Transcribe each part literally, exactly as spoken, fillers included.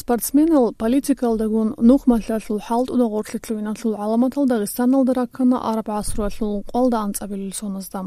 Спортсменал политикалдагун нухмалъалъул хӀалтӀуда гъорлъе лъугьиналъул гӀаламатал Дагъистаналда раккана араб гӀасруялъул къоялда анцӀабилел соназда.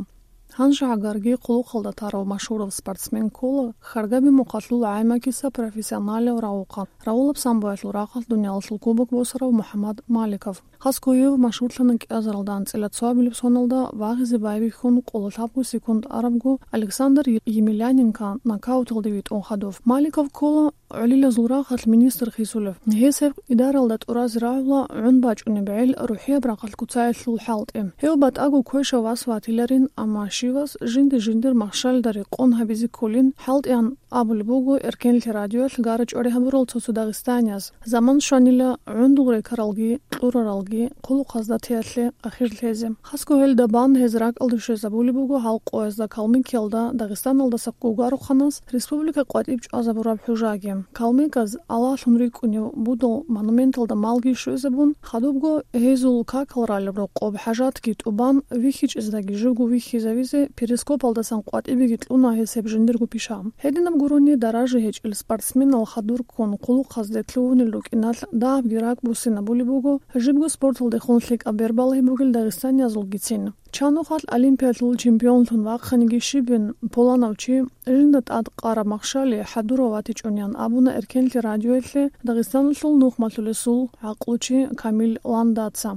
Гьанже гӀагарги хъулухъалда тарав машгьурав спортсмен ккола Харгаби мухъалъул гӀаймакиса профессионалав рагъухъан, рагъулаб самбоялъул рахъалъ дуниялалъул кубок босарав МухӀаммад Маликов. Хасго гьев машгьурлъана кӀиазаралда анцӀила цоабилеб соналда вагъизе байбихьун къоло лъабго секунд арабго Александр Емельяненко нокауталде витӀун хадуб. Маликов ккола гӀолилазул рахъалъ министр хисулев. Гьес гьеб идаралда тӀуразе рагӀула гӀун бачӀунеб гӀел рухӀияб рахъалъ куцаялъул хӀалтӀи. Гьев батӀаго квешав вас ватиларин, амма щивас жинди-жиндир махщалда рекъон гьабизе кколин хӀалтӀиян абулеб буго Эркенлъи радиоялъ гара-чӀвари гьабурал цо-цо дагъистанияз. Заман щванила гӀундул рекаралги, кьураралги, хъулухъазда теялъе ахир лъезе. Хасго гьелда бан гьез ракӀалде щвезабулеб буго гьал къоязда Калмыкиялда Дагъистаналдаса гугарухъанас республика къватӀиб чӀвазабураб хӀужаги. Калмыказ Аллагьлъун рикӀкӀунев будул монументалда малги щвезабун, хадубго гьезул какал ралеб рокъоб хӀажатги тӀубан, вихьичӀездаги живго вихьизавизе перископалдасан къватӀибеги кьуна гьес гьеб жиндирго пиша. Гьединаб гурони даража гьечӀел спортсменал хадур ккун хъулухъазде лъугьунел рукӀиналъ дагьабги ракӀ буссинабулеб буго, жибго спорталдехун лъикӀаб бер балагьи бугел дагъистаниязулгицин. Чанухъалъ Олимпиялъул чемпионлъун вахъаниги щибин пуланав чи, жинда тӀад къараб махщали хӀадурав ватичӀуниян абуна Эркенлъи радиоялъе Дагъистаналъул нухмалъулесул гӀакълучи Камил Ландаца.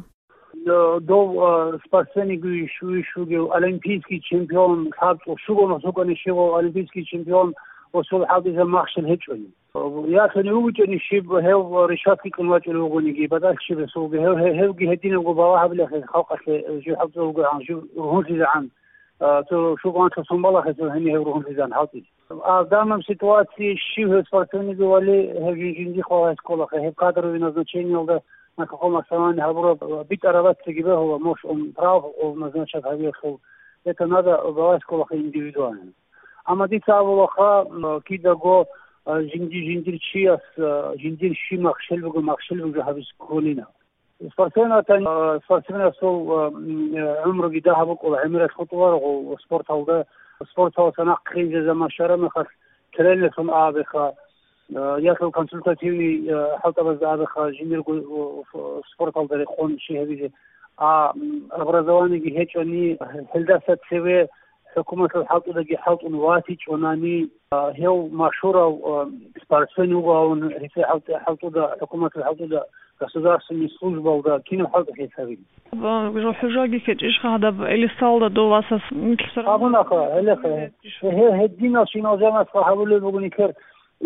Дов, а, спортсменги виш-, виш вугев, олимпийский чемпион, лъабцӀул щуго нусукъани щивав олимпийский чемпион ва сул хӀалтӀизаб махщел гьечӀони. Ялъуни вугичӀони щиб гьев решатки кьун вачӀулев вугониги, батӀалъ щиб гьесулги, гьев, гьев, гьевги гьединабго балагь гьабилахъе халкъалъе, жив хӀалтӀизавугогӀан, жив ругьунлъизегӀан, а, цо шугъанлъа сон балахъе цо гьенив гьев ругьунлъизегӀан хӀалтӀизе. А в данном ситуации щив гьев спортсменги вали, гьев жин-, жиндихъ валагье кколахъе, гьеб кадровый назначениялда на каком основании гьабураб, а, битӀараб бацаги бегьула, может, он прав, он назначат гьавиялъул. Это надо балагье кколахъе индивидуально. Амма дица абулаха, м, кидаго, а, жинди-, жиндир чияс, а, жиндир щиб махщел буго, махщел буго гьабизе кколина. Спортсменатан, а, спортсменасул, а, м, э, гӀумруги дагьаб букӀула, гӀемерал хутӀуларого спорталда, спорталдаса нахъе хинзе заман щвараб мехалъ, тренерлъун абеха, а, ялъул консультативный, а, хӀалтӀабазда абеха, жиндирго, о, ф-, спорталда рекъон щи гьабизе. А, м, образованиеги гьечӀони, гьелдаса цеве ХӀукуматалъул хӀалтӀудаги хӀалтӀун ватичӀунани, а, гьев машгьурав, а, спортсмен вугоан, гьесие хӀалтӀи-, хӀалтӀуда, хӀукуматалъул хӀалтӀуда, государственный службалда кинаб хӀалтӀи гьес гьабилеб? Ба-, хӀужаги ккечӀищха гьадаб Элисалда дов васас нилъ сорана? Абунаха, гьелеха. Гье-, гьединал щинал жанасха гьабулеб буго нилъер,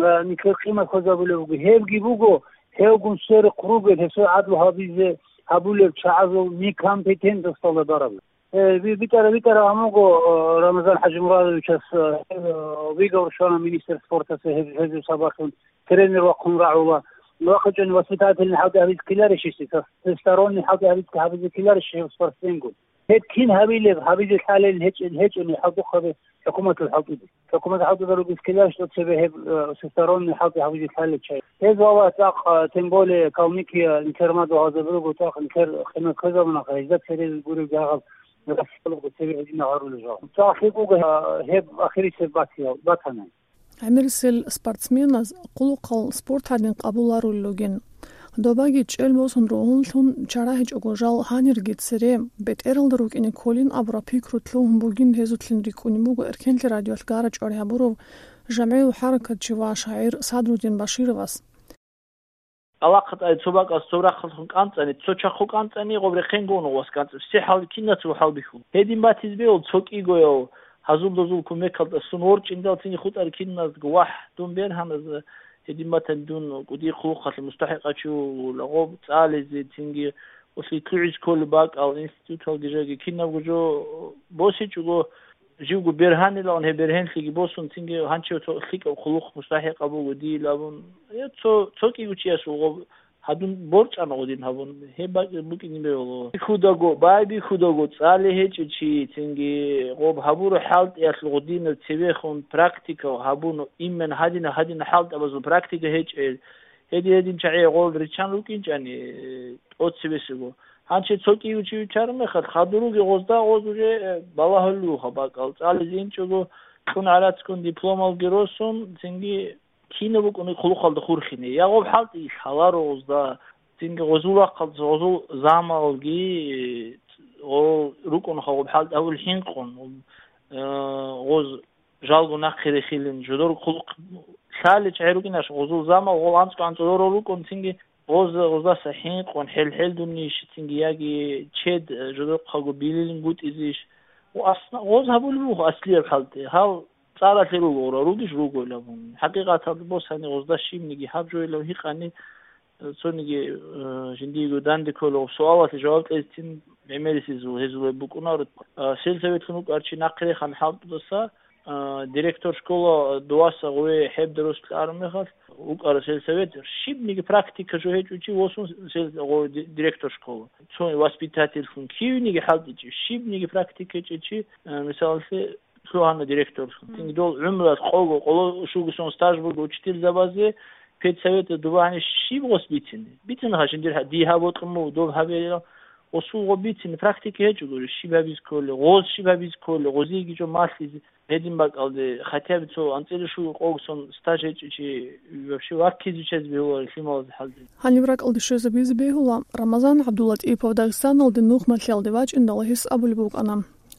а, нилъер къимат хвезабулеб буго. Гьевги буго, гьевгун сверухъ ругел, гьесул гӀадлу гьабизе гьабулел чагӀазул некомпетентносталда бараб. Э, би-, битӀара-, битӀараб гьамуго, э, Рамазан ХӀажимурадовичас, э, э, вигавр щвана министр спортаса гьеб-, гьезул сабаблъун тренер вахъун рагӀула. ВахъичӀони воспитательный хӀалтӀи гьабизе ккеларищ гьесие, со-, всесторонний хӀалтӀи гьабизе, гьабизе ккеларищ гьев спортсменгун? Гьеб кин гьабилеб, гьабизе лъалел гьечӀел-, гьечӀони хӀалтӀухъаби хӀукуматалъул хӀалтӀиде. ХӀукуматалъул хӀалтӀуда ругес ккеларищ цебе гьеб, э, всесторонний хӀалтӀи гьабизе лъалел чай. Гьез вала цӀакъ, э, тем более Калмыкия, интернат вагьазаби руго, цӀакъ интер къимат кквезабунаха, гьезда цере гуреб жагьал Россиялъго цебе гьедина гьарулел жал. ЦӀакъ лъикӀ буго, э, гьеб ахирисеб батиял, батана. ГӀемерисел спортсменаз хъулухъал спорт гьадин къабуларулел ругин. Добаги чӀел босун ругьунлъун чара гьечӀого жал гьанирги цере бетӀералда рукӀине кколин абураб пикру лъугьун бугин гьезулъин рикӀкӀунеб буго Эркенлъи радиоялъ гара-чӀвари гьабурав жамгӀиял хӀаракатчи ва шагӀир Садрудин Башировас. Алахъа тӀаде цо бакӀалъ цо рахъалъун кӀанцӀани, цо чахъу кӀанцӀани, гъоб рехъенго уна вас кӀанцӀи. Все хӀал-, кинаца хӀалбихьун. Гьедин батиз бегьул цо кӀигояв гьазул-дазул кумекалда сун ворчӀиндал цинги хутӀар киназго, вагь, дун бергьаназ, гьедин батани дун кӀудиял хъулухъалъе мустахӀикъав чи вугила, гъоб цӀализе, цинги улъи лъугӀиз кколеб бакӀал, институталги жаги кинабго жо босичӀого, живго бергьанилан гьеб бергьенлъиги босун, цинги гьанчев цо лъикӀаб хъулухъ мустахӀикъаб буго дийил абун, я цо, цо кӀиго чиясул гъоб гьадун борчӀана гъодин гьабун, гьеб бакӀ-, букӀине бегьула. Бихьудаго, байбихьудаго цӀали гьечӀев чи, цинги гъоб гьабураб хӀалтӀиялъул гъодинаб цевехун практика гьабун, именно гьадина-гьадина хӀалтӀабазул практика гьечӀел, гьедин-гьедин чагӀи гъол риччан рукӀинчӀани, тӀоцебесего. Гьанже цо кӀиго чи вичараб мехалъ, хадуруги гъозда гъоз уже, э, балагьулев вуха бакӀал. ЦӀализе инчӀого, кьун гӀарацгун дипломалги росун, цинги Кинаб букӀуни хъулухъалда хурхине, я гъоб хӀалтӀи лъаларо гъозда, цинги гъозул рахъалда гъозул замалги, о, рукӀун хъа гъоб хӀалтӀи гьабул хӀинкъун, э, гъоз жалго нахъе рехилин, жодор хъулухъ лъаличӀ гьерукӀинаш гъозул замал, гъол анцӀго анцӀго ророл рукӀун, цинги гъоз, гъоздаса хӀинкъун, хӀел-хӀелдунищ, цинги яги чед, э, жодохъаго билилин гутӀизищ. Ва асна-, гъоз гьабулеб буго аслияб хӀалтӀи, гьал цӀаралъе ругора, ругищ ругойилан абун. ХӀакъикъаталда босани гъозда щибниги гьаб жойилан гьикъани, э, цониги, э, жиндиего данде кколеб суалалъе жаваб кьезцин гӀемерисезул гьезулеб букӀунаро. А, сельсоветлъун вукӀар чи нахъе рехана хӀалтӀудаса, а, директор школа, а, дуваса гъове хӀеб дарус кьарун мехалъ, вукӀара сельсовет, щибниги практика жо гьечӀо чи восун сел-, гъо-, ди-, директор школа. Цо воспитательлъун кивниги хӀалтӀичӀеб, щибниги практика гьечӀеб чи, а, мисалалъе, лъугьана директорлъун. Мгм. Цинги дол гӀумруялъ къого, къоло щугусон стаж буго учительзабазе, педсоветалда дубагьани щиб гъос бицине? Бицине гьа жиндир гьа-, дие гьаб бокьун буго, доб гьабе, осулго бицине, практика гьечӀо гури, щиб гьабиз кколе, гъоз щиб гьабиз кколе, гъозиеги жо малъизе, гьедин бакӀалде, хотя бы цо анцӀила щуго къогсон стаж гьечӀичи вообще ваккизе чез бегьуларо лъималазе хӀалде. Гьаниб ракӀалде щвезабизе бегьула Рамазан ГӀабдуллатӀипов Дагъистаналде нухмалъиялде вачӀиндал гьес абулеб букӀана.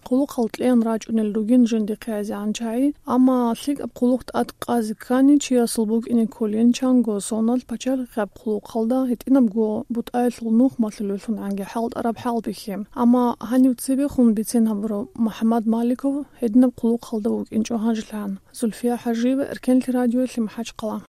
Хъулухъал кьеян рачӀунел ругин жиндихъе гӀезегӀан чагӀи, амма лъикӀаб хъулухъ тӀад къазе ккани, чиясул букӀине кколин чанго соналъ пачалихъияб хъулухъалда гьитӀинабго бутӀаялъул нухмалъулевлъун гӀанги хӀалтӀараб хӀал бихьи. Амма гьанив цебехун бицен гьабурав МухӀаммад Маликов гьединаб хъулухъалда вукӀинчӀо гьанжелъан. Зульфия ХӀажиева, Эркенлъи радиоялъе МахӀачхъала.